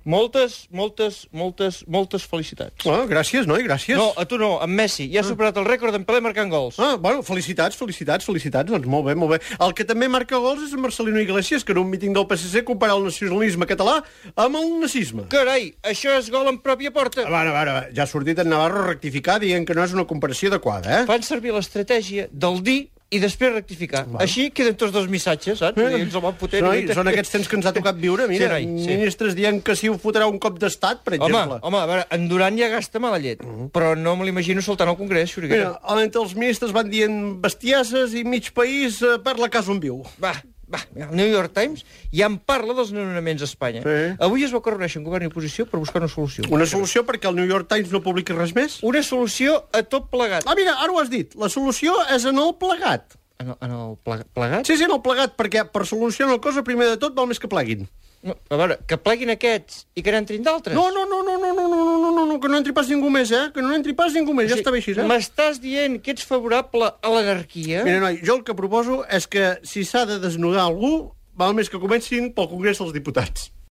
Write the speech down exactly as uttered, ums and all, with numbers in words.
Moltes, moltes, moltes, moltes felicitats. Ah, gràcies, noi, gràcies. No, a tu no, en Messi. Ja ha superat el rècord d'en Pelé marcant gols. Ah, bueno, felicitats, felicitats, felicitats. Doncs molt bé, molt bé. El que també marca gols és en Marcelino Iglesias, que en un míting del P S C compara el nacionalisme català amb el nazisme. Carai, això és gol en pròpia porta. A veure, a veure, ja ha sortit en Navarro a rectificar dient que no és una comparació adequada, eh? Fan servir l'estratègia del dir i després rectificar. Bueno. Així queden tots dos missatges, saps? Eh, Ens el van fotent. Noi, són aquests temps que ens ha tocat viure. Mira, Sí, noi, sí. ministres dient que si ho fotrà un cop d'estat, per Home, exemple. home, a veure, en Duran ja gasta mala llet, però no me l'imagino soltant al Congrés, Xuriguera. Mira, entre els ministres van dient bestieses i mig país eh, per la casa on viu. Va, va, el New York Times ja en parla dels desnonaments a Espanya. Sí. Avui es va reuneixen govern i oposició per buscar una solució. Una solució perquè el New York Times no publiqui res més? Una solució a tot plegat. Ah, mira, ara ho has dit. La solució és en el plegat. En el, en el ple- plegat? Sí, sí, en el plegat, perquè per solucionar una cosa, primer de tot, val més que pleguin. No, a veure, que pleguin aquests i que n'entrin d'altres. No, no, no, no, no, no, no, no, no, no, que no entri pas ningú més, eh? Que no entri pas ningú més, ja està bé així, eh? M'estàs dient que ets favorable a l'anarquia? Mira, noi, jo el que proposo és que si s'ha de desnudar algú, val més que comencin pel Congrés dels Diputats.